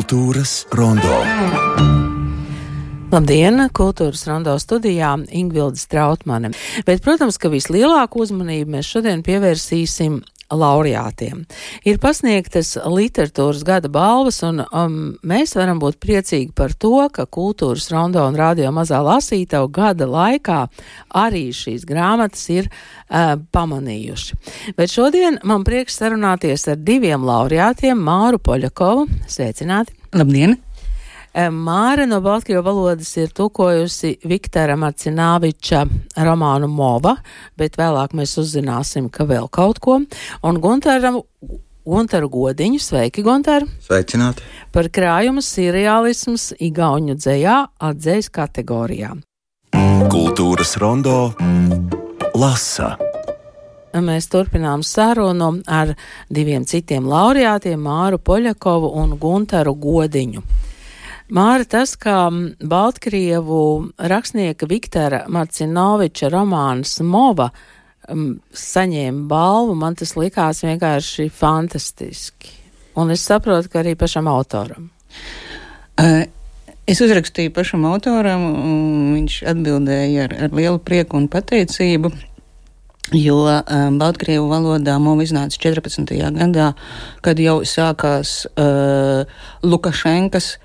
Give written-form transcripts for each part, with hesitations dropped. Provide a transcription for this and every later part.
Kultūras rondo. Labdien, Kultūras rondo studijā Ingvilde Strautmane. Bet, protams, ka vislielāku uzmanību mēs šodien pievērsīsim laureātiem. Ir pasniegtas literatūras gada balvas, un mēs varam būt priecīgi par to, ka Kultūras rondo un Radio Mazā Lasītava gada laikā arī šīs grāmatas ir pamanījuši. Bet šodien man prieks sarunāties ar diviem laureātiem, Māru Poļakovu. Sveicināti! Labdien! Māra no baltkrievu valodas ir tulkojusi Viktora Marcināviča romānu Mova, bet vēlāk mēs uzzināsim, ka vēl kaut ko. Un Guntaru Godiņu, sveiki, Guntar! Sveicināti! Par krājumu seriālisms igauņu dzejā atdzejas kategorijā. Kultūras rondo lasa. Mēs turpinām sarunu ar diviem citiem laureātiem, Māru Poļakovu un Guntaru Godiņu. Māra, tas, ka baltkrievu rakstnieka Viktora Marcināviča romāns Mova saņēma balvu, man tas likās vienkārši fantastiski. Un es saprotu, ka arī pašam autoram. Es uzrakstīju pašam autoram, un viņš atbildēja ar lielu prieku un pateicību, jo baltkrievu valodā Mova iznāca 14. gadā, kad jau sākās Lukašenkas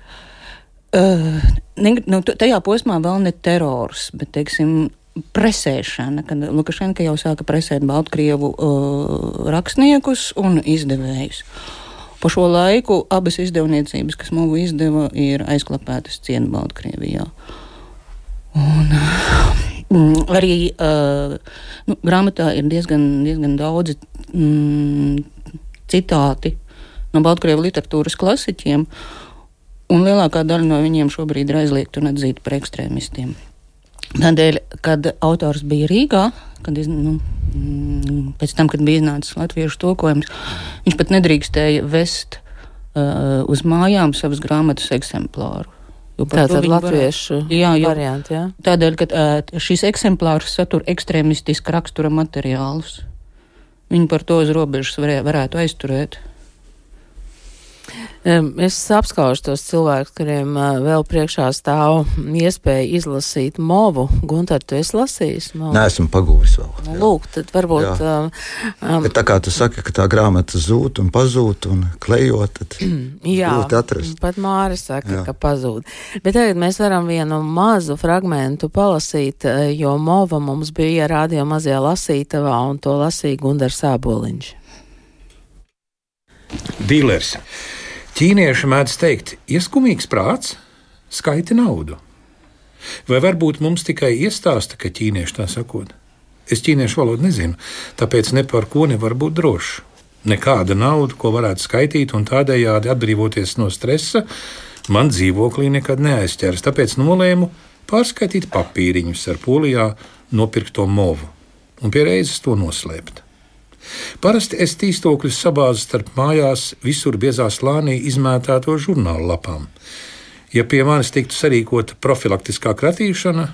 tajā posmā vēl ne terors, bet, teiksim, presēšana, kad Lukašenka jau sāka presēt baltkrievu rakstniekus un izdevējus. Pa šo laiku abas izdevniecības, kas Movu izdeva, ir aizklapētas cienu Baltkrievijā. Un arī grāmatā ir diezgan daudzi citāti no baltkrievu literatūras klasiķiem, un lielākā daļa no viņiem šobrīd ir aizliegta un atzīta par ekstrēmistiem. Tādēļ, kad autors bija Rīgā, pēc tam, kad bija iznācis latviešu tulkojums, viņš pat nedrīkstēja vest uz mājām savas grāmatas eksemplāru. Tātad latviešu varianti, jā? Tādēļ, ka šis eksemplārs satur ekstrēmistiska rakstura materiālus. Viņi par to uz robežas varētu aizturēt. Es apskaužu tos cilvēkus, kuriem vēl priekšā stāv iespēja izlasīt Movu. Guntar, tu esi lasījis Movu? Nē, esmu pagūris vēl. Lūk, tad varbūt... Bet tā kā tu saki, ka tā grāmata zūd un pazūd un klejot, tad grūti atrast. Pat Māra saka, ka pazūd. Bet tagad mēs varam vienu mazu fragmentu palasīt, jo Mova mums bija Radio Mazajā Lasītavā, un to lasīja Gundars Āboliņš. Dīlers. Ķīnieši mēdz teikt, ieskumīgs prāts skaiti naudu. Vai varbūt mums tikai iestāsta, ka ķīnieši tā sakot? Es ķīniešu valodu nezinu, tāpēc ne par ko nevar būt drošs. Nekāda nauda, ko varētu skaitīt un tādējādi atbrīvoties no stresa, man dzīvoklī nekad neaizķers, tāpēc nolēmu pārskaitīt papīriņus ar Polijā nopirkto Movu un pie reizes to noslēpt. Parasti es tīstokļus sabāzu starp mājās visur biezā slānī izmētāto žurnālu lapām. Ja pie manis tiktu sarīkota profilaktiskā kratīšana,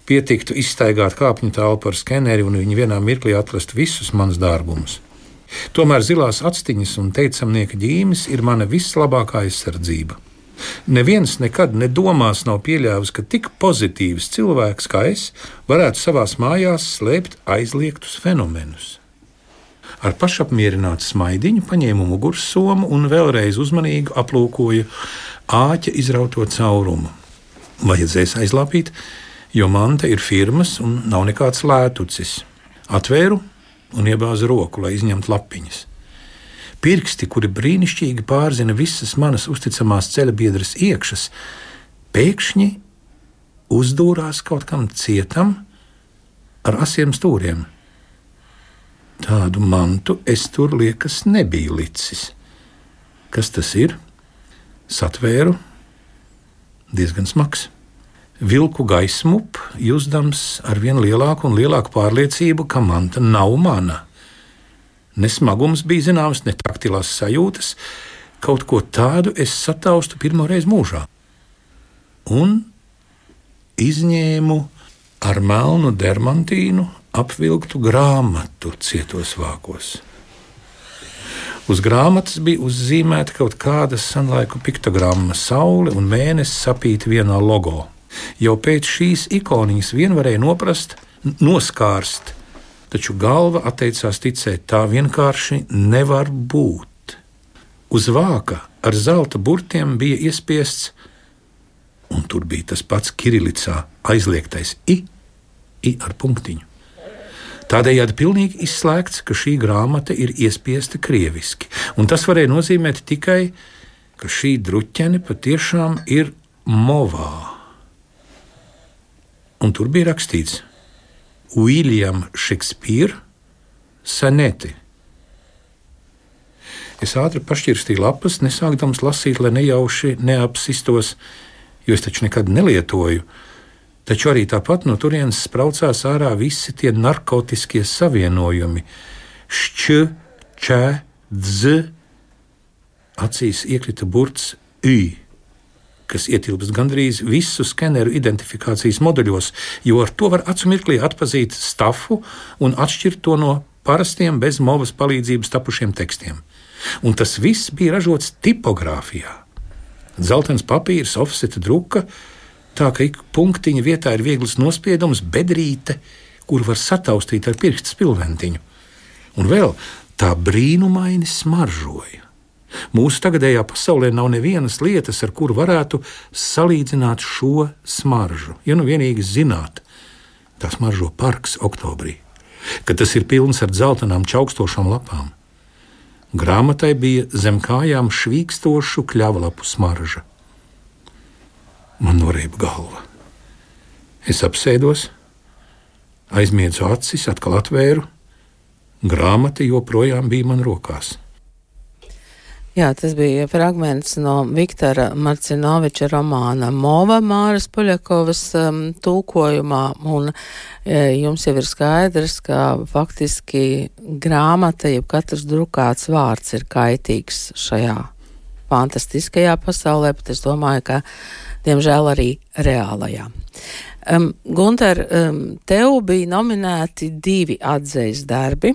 pietiktu izstaigāt kāpņu telpu ar skeneri un viņi vienā mirklī atrast visus manus dārgumus. Tomēr zilās actiņas un teicamnieka ģīmis ir mana vislabākā aizsardzība. Neviens nekad nedomās nav pieļāvis, ka tik pozitīvs cilvēks kā es varētu savās mājās slēpt aizliegtus fenomenus. Ar pašapmierinātu smaidiņu paņēmu mugursomu un vēlreiz uzmanīgi aplūkoju āķa izrauto caurumu. Vajadzēs aizlāpīt, jo manta ir firmas un nav nekāds lētucis. Atvēru un iebāzu roku, lai izņemtu lapiņas. Pirksti, kuri brīnišķīgi pārzina visas manas uzticamās ceļabiedras iekšas, pēkšņi uzdūrās kaut kam cietam ar asiem stūriem. Tādu mantu es tur liekas nebiju licis. Kas tas ir? Satvēru, diezgan smags. Vilku gaismup, jusdams ar vien lielāku un lielāku pārliecību, ka manta nav mana. Ne smagums bija zināms, ne taktilās sajūtas, kaut ko tādu es sataustu pirmoreiz mūžā. Un izņēmu ar melnu dermantīnu apvilktu grāmatu cietos vākos. Uz grāmatas bija uzzīmēta kaut kāda senlaiku piktogramma, saule un mēnesis sapīti vienā logo. Jau pēc šīs ikoniņas vien varēja noskārst, taču galva atteicās ticēt, tā vienkārši nevar būt. Uz vāka ar zelta burtiem bija iespiests, un tur bija tas pats kirilicā aizliegtais I ar punktiņu. Tādējādi pilnīgi izslēgts, ka šī grāmata ir iespiesta krieviski, un tas varēja nozīmēt tikai, ka šī druķene patiešām ir movā. Un tur bija rakstīts William Shakespeare soneti. Es ātri pašķirstīju lapas, nesākdams lasīt, lai nejauši neapsistos, jo es taču nekad nelietoju. Taču arī tāpat no turienes spraucās ārā visi tie narkotiskie savienojumi. Šķ, čē, dz. Acīs iekrita burts I, kas ietilpst gandrīz visu skeneru identifikācijas moduļos, jo ar to var acu mirklī atpazīt stafu un atšķirt to no parastiem bez movas palīdzības tapušiem tekstiem. Un tas viss bija ražots tipogrāfijā. Zeltains papīrs, ofseta druka, tā ka ik punktiņa vietā ir viegls nospiedums, bedrīte, kur var sataustīt ar pirksta spilventiņu. Un vēl tā brīnumaini smaržoja. Mūsu tagadējā pasaulē nav nevienas lietas, ar kuru varētu salīdzināt šo smaržu. Ja nu vienīgi zināt, tā smaržo parks oktobrī, kad tas ir pilns ar dzeltenām čaukstošām lapām. Grāmatai bija zem kājām švīkstošu kļavlapu smarža. Man norēba galva. Es apsēdos, aizmiedzu acis, atkal atvēru. Grāmata joprojām bija man rokās. Jā, tas bija fragments no Viktora Marcinoviča romāna Mova Māras Poļakovas tulkojumā, un jums jau ir skaidrs, ka faktiski grāmata, jeb katrs drukāts vārds ir kaitīgs šajā fantastiskajā pasaulē, bet es domāju, ka diemžēl arī reālajā. Gunter, tev bija nominēti 2 atzejas darbi,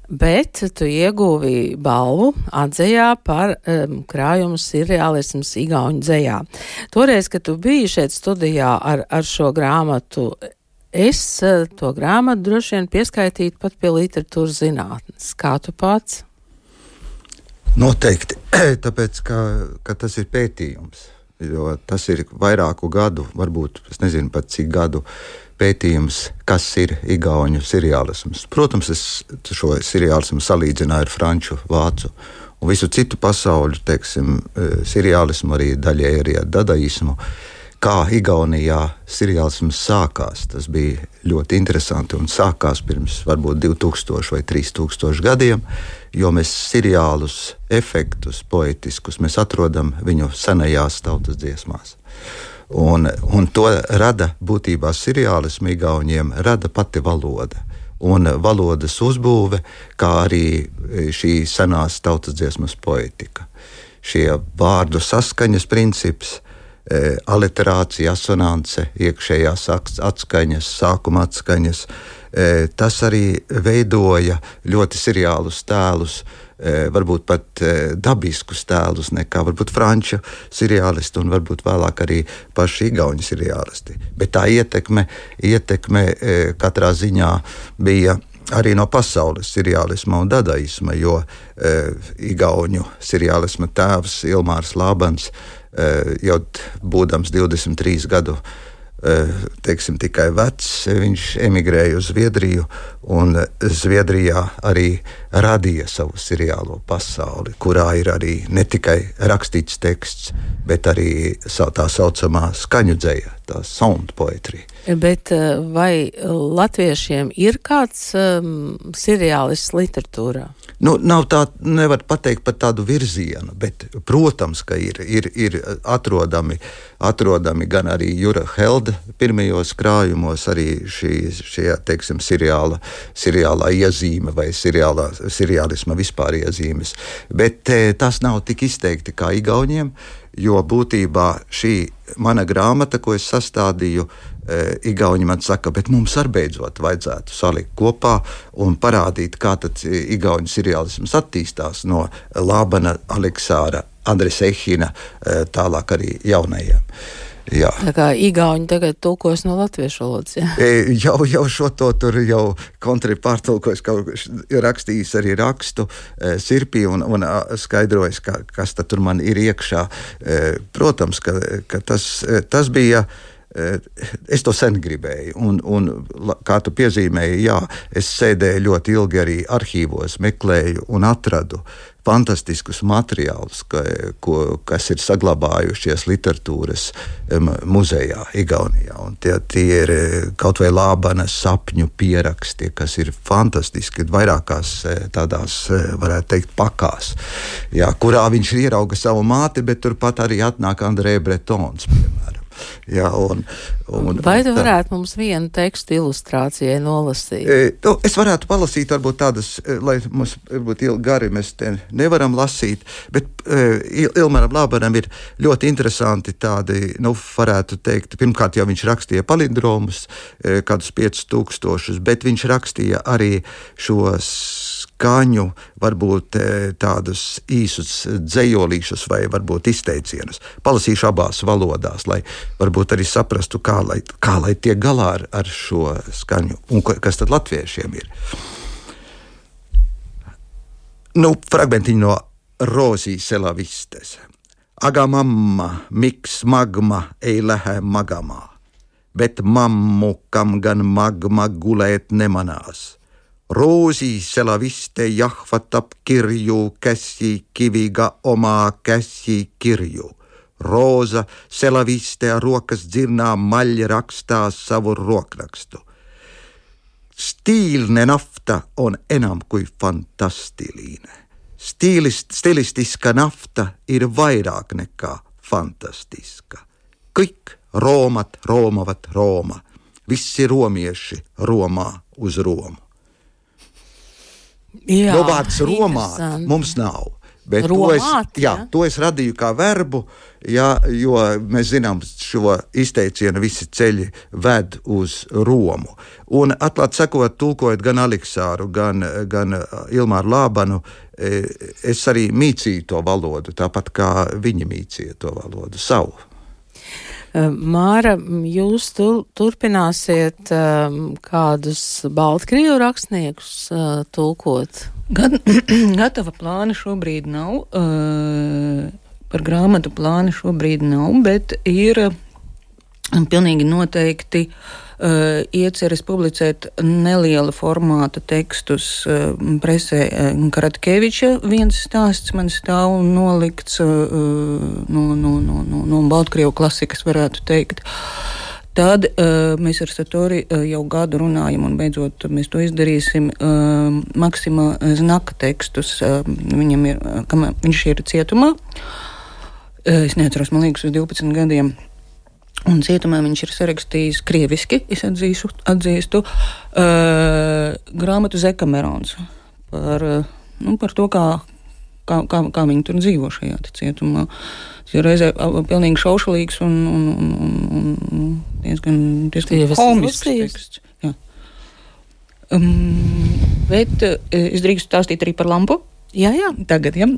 bet tu ieguvi balvu atzejā par krājumu sirreālisms igauņu dzejā. Toreiz, kad tu biji šeit studijā ar šo grāmatu, es to grāmatu droši vien pieskaitītu pat pie literatūras zinātnes. Kā tu pats? Noteikti, tāpēc, ka tas ir pētījums. Jo tas ir vairāku gadu, varbūt es nezinu pat cik gadu pētījums, kas ir igauņu sirreālisms. Protams, es šo sirreālismu salīdzināju ar franču, vācu un visu citu pasauļu, teiksim, sirreālismu, arī daļai arī ar dadaismu. Kā Igaunijā sirreālisms sākās, tas bija ļoti interesanti un sākās pirms varbūt 2000 vai 3000 gadiem, jo mēs sirreālus efektus, poetiskus, mēs atrodam viņu senajās tautas dziesmās. Un to rada būtībā sirreālismu igauņiem, rada pati valoda. Un valodas uzbūve, kā arī šī senās tautas dziesmas poetika. Šie vārdu saskaņas princips, aliterācija, asonance, iekšējās atskaņas, sākuma atskaņas, tas arī veidoja ļoti sirreālus tēlus, varbūt pat dabiskus tēlus nekā varbūt franču sirreālisti un varbūt vēlāk arī paši igauņu sirreālisti. Bet tā ietekme katrā ziņā bija arī no pasaules sirreālisma un dadaisma, jo igauņu sirreālisma tēvs Ilmārs Lābans jau būdams 23 gadu, teiksim, tikai vecs, viņš emigrēja uz Zviedriju un Zviedrijā arī radīja savu sirreālo pasauli, kurā ir arī ne tikai rakstīts teksts, bet arī tā saucamā skaņu dzeja, tā sound poetry. Bet vai latviešiem ir kāds sirreālists literatūrā? Nav tā, nevar pateikt par tādu virzienu, bet, protams, ka ir atrodami gan arī Jura Helda pirmajos krājumos, arī šie, teiksim, sirreālā iezīme vai sirreālisma vispār iezīmes. Bet tas nav tik izteikti kā igauņiem, jo būtībā šī mana grāmata, ko es sastādīju, Igauni man saka, bet mums arī beidzot vajadzētu salikt kopā un parādīt, kā tad igauņu seriālisms attīstās no Lābana, Aleksāra, Andres Ehina, tālāk arī jaunajiem. Jā. Tā kā igauņi tagad tulkos no latviešu valodas, jā? Jau šo to tur jau kontri pārtulkojis, rakstījis arī rakstu Sirpī un skaidrojis, kas tad tur man ir iekšā. Protams, ka tas bija, es to sen gribēju, un kā tu piezīmēji, jā, es sēdēju ļoti ilgi arī arhīvos, meklēju un atradu fantastiskus materiālus, kas ir saglabājušies literatūras muzejā Igaunijā. Un tie ir kaut vai Lābana sapņu pieraksti, kas ir fantastiski, vairākās tādās, varētu teikt, pakās, jā, kurā viņš ierauga savu māti, bet turpat arī atnāk Andrē Bretons, piemēram. Jā, vai tu varētu mums vienu tekstu ilustrācijai nolasīt? Es varētu palasīt, varbūt tādas, lai mums varbūt gari mēs te nevaram lasīt, bet Ilmaram Lābanam ir ļoti interesanti tādi, varētu teikt, pirmkārt jau viņš rakstīja palindromus, kādus 5000, bet viņš rakstīja arī šos skaņu, varbūt tādus īsus dzejolīšus vai varbūt izteicienus. Palasīšu abās valodās, lai varbūt arī saprastu, kā lai tiek galā ar šo skaņu un kas tad latviešiem ir. Fragmentiņi no Rozi Selavistes. Aga mamma, miks magma ei lähe magama, bet mammu, kam gan magma gulēt nemanās. Roosi Selaviste jahvatab kirju käsi kiviga omaa käsi kirju. Roosa Selaviste ruokas dzirnaa malja rakstaa savu ruokrakstu. Stiilne nafta on enam kuin fantastiliine. Stilistiska nafta ir vairāk nekā fantastiska. Kõik roomat roomavat Rooma. Visi romieši romā uz Romu. Jā, vārds Romā mums nav. Bet to es radīju kā verbu, jā, jo mēs zinām šo izteicienu visi ceļi ved uz Romu. Un atklāt sakot, tulkojot gan Aleksāru, gan Ilmāru Lābanu, es arī mīcīju to valodu, tāpat kā viņi mīcīja to valodu savu. Māra, jūs turpināsiet kādus Baltkrievu rakstniekus tulkot? Gatava plāna šobrīd nav, par grāmatu plāna šobrīd nav, bet ir pilnīgi noteikti ieceres publicēt neliela formāta tekstus presē. Karatkeviča viens stāsts man stāv nolikts no Baltkrievu klasikas, varētu teikt. Tad mēs ar Satori jau gadu runājam, un beidzot mēs to izdarīsim, Maksima Znaka tekstus. Viņš ir cietumā. Es neatceros, man liekas, uz 12 gadiem. Un cietumā viņš ir sarakstījis krieviski, es atzīstu, grāmatu Zekamerons par to, kā viņi tur dzīvo šajā cietumā. Tas ir reizē pilnīgi šaušalīgs un diezgan komisks teksts. Jā. Bet es drīkstu stāstīt arī par lampu. Jā. Tagad, jā.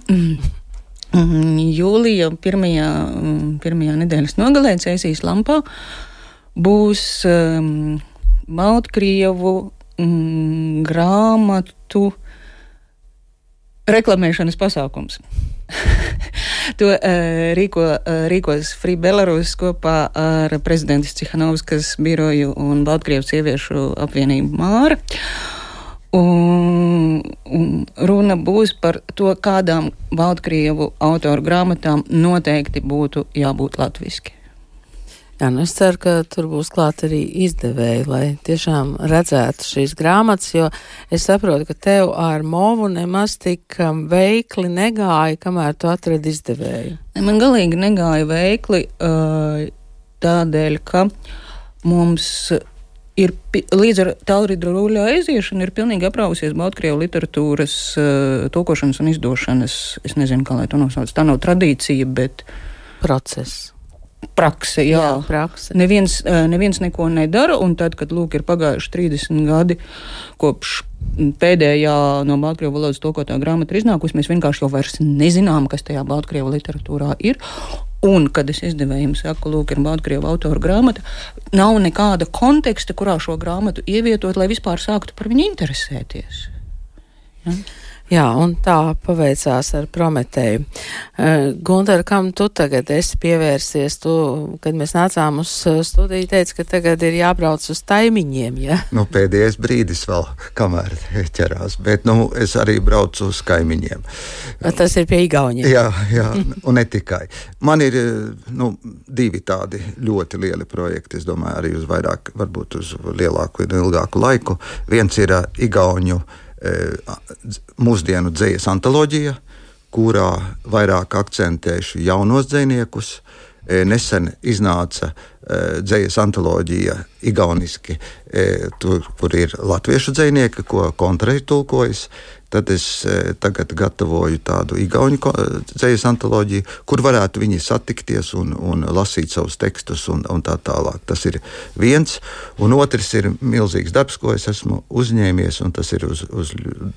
Jūlija pirmajā nedēļas nogalē Cēsīs lampā būs Baltkrievu grāmatu reklamēšanas pasākums. To rīkos Free Belarus kopā ar prezidentas Cihanovskas biroju un Baltkrievu sieviešu apvienību Māra. Un runa būs par to, kādām Baltkrievu autoru grāmatām noteikti būtu jābūt latviski. Jā, es ceru, ka tur būs klāt arī izdevēji, lai tiešām redzētu šīs grāmatas, jo es saprotu, ka tev ar movu nemaz tik veikli negāja, kamēr tu atradi izdevēju. Man galīgi negāja veikli tādēļ, ka mums ir līdz ar Taurida Rūļa aiziešanu ir pilnīgi aprausies Baltkrievu literatūras tulkošanas un izdošanas, es nezinu, kā lai to nosauc, tā nav tradīcija, bet process. prakse, jā. Prakse. Neviens neko nedara, un tad, kad lūk ir pagājuši 30 gadi kopš pēdējā no baltkrievu valodas tulkotā grāmata ir iznākusi, mēs vienkārši jau vairs nezinām, kas tajā baltkrievu literatūrā ir. Un, kad es izdevējiem saku, lūk, ir baltkrievu autora grāmata, nav nekāda konteksta, kurā šo grāmatu ievietot, lai vispār sāktu par viņu interesēties. Ja? Jā, un tā paveicās ar Prometēju. Gunter, kam tu tagad esi pievērsies? Tu, kad mēs nācām uz studiju, teici, ka tagad ir jābrauc uz Taimiņiem, ja? Pēdējais brīdis vēl, kamēr ķerās, bet, es arī braucu uz kaimiņiem. Tas ir pie Igauniem. Jā, un ne tikai. Man ir, divi tādi ļoti lieli projekti, es domāju, arī uz vairāk, varbūt uz lielāku un ilgāku laiku. Viens ir Igauņu mūsdienu dzejas antoloģija, kurā vairāk akcentēšu jaunos dzejniekus. Nesen iznāca dzejas antoloģija igauniski, kur ir latviešu dzejnieki, ko Kontra ir tulkojis. Tad es tagad gatavoju tādu igauņu dzejas antoloģiju, kur varētu viņi satikties un lasīt savus tekstus un tā tālāk. Tas ir viens. Un otrs ir milzīgs darbs, ko es esmu uzņēmies, un tas ir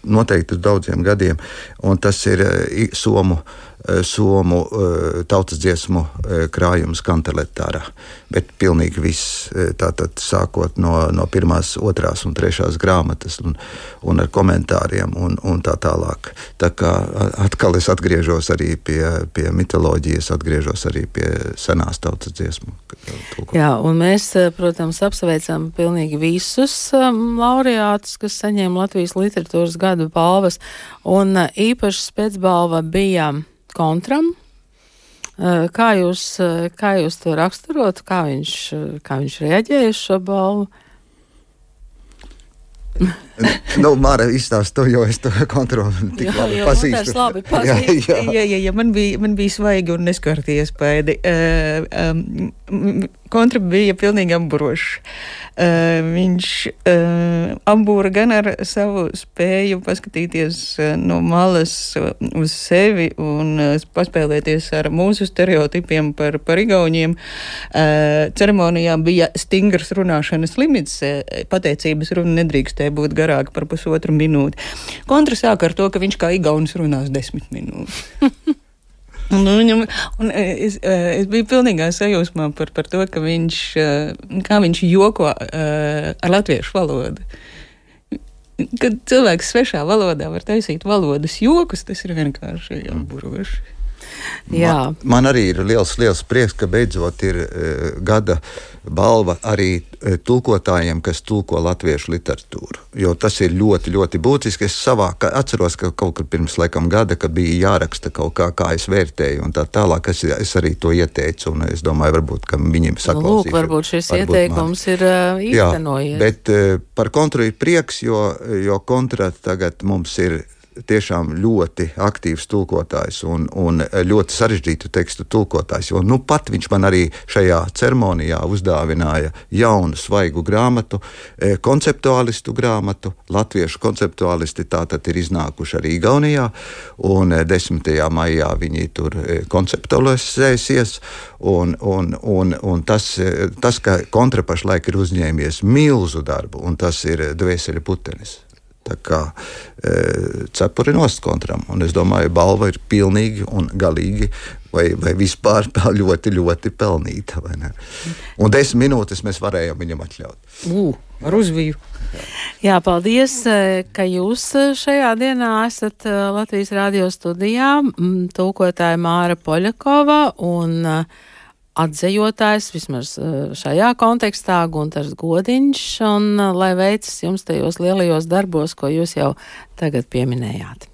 noteikti uz daudziem gadiem. Un tas ir somu tautas dziesmu krājums Kanteletārā. Bet pilnīgi viss, tātad sākot no pirmās, otrās un trešās grāmatas un ar komentāriem un tā tālāk. Tā kā atkal es atgriežos arī pie mitoloģijas, atgriežos arī pie senās tautas dziesmu. Jā, un mēs, protams, apsveicam pilnīgi visus laureātus, kas saņēma Latvijas literatūras gadu balvas, un īpaši spēcbalva bija Kontram. Kā jūs to raksturotu, kā viņš reaģēja uz šo balvu? Māra izstāst to, jo es to kontroli tik labi pazīstu. Labi pazīstu. Jā, man bija svaigi un neskarti iespēdi. Kontra bija pilnīgi amburošs. Viņš ambūra gan ar savu spēju paskatīties no malas uz sevi un paspēlēties ar mūsu stereotipiem par igauņiem. Ceremonijā bija stingrs runāšanas limits, pateicības runa nedrīkstēja būt garāka par pusotru minūti. Kontra sāka ar to, ka viņš kā igaunis runās 10 minūtes. Es biju pilnīgā sajūsmā par to, ka kā viņš joko ar latviešu valodu. Kad cilvēks svešā valodā var taisīt valodas jokus, tas ir vienkārši amburoši. Jā. Man arī ir liels prieks, ka beidzot ir gada balva arī tulkotājiem, kas tulko latviešu literatūru. Jo tas ir ļoti, ļoti būtiski. Es atceros, ka kaut kur pirms gada, kad bija jāraksta kaut kā es vērtēju un tā tālāk, es arī to ieteicu, un es domāju, varbūt, ka viņiem saklausīšu. Lūk, varbūt šis ieteikums ir īstenojies. Jā, bet par Kontru ir prieks, jo Kontra tagad mums ir tiešām ļoti aktīvs tulkotājs un ļoti sarežģītu tekstu tulkotājs, jo pat viņš man arī šajā ceremonijā uzdāvināja jaunu svaigu grāmatu, konceptuālistu grāmatu. Latviešu konceptuālisti tātad ir iznākuši arī Igaunijā, un 10. maijā viņi tur konceptualizēsies, un tas, ka Kontra pašlaik ir uzņēmies milzu darbu, un tas ir Dvēseļu putenis. Tā kā cepuri nost Kontram, un es domāju, balva ir pilnīgi un galīgi vai vispār ļoti, ļoti pelnīta, vai ne? Un 10 minūtes mēs varējām viņam atļaut. Ar uzviju. Jā, paldies, ka jūs šajā dienā esat Latvijas radio studijā, tulkotāja Māra Poļakova un atzejotājs, vismaz šajā kontekstā, Guntars Godiņš, un lai veicas jums tajos lielajos darbos, ko jūs jau tagad pieminējāt.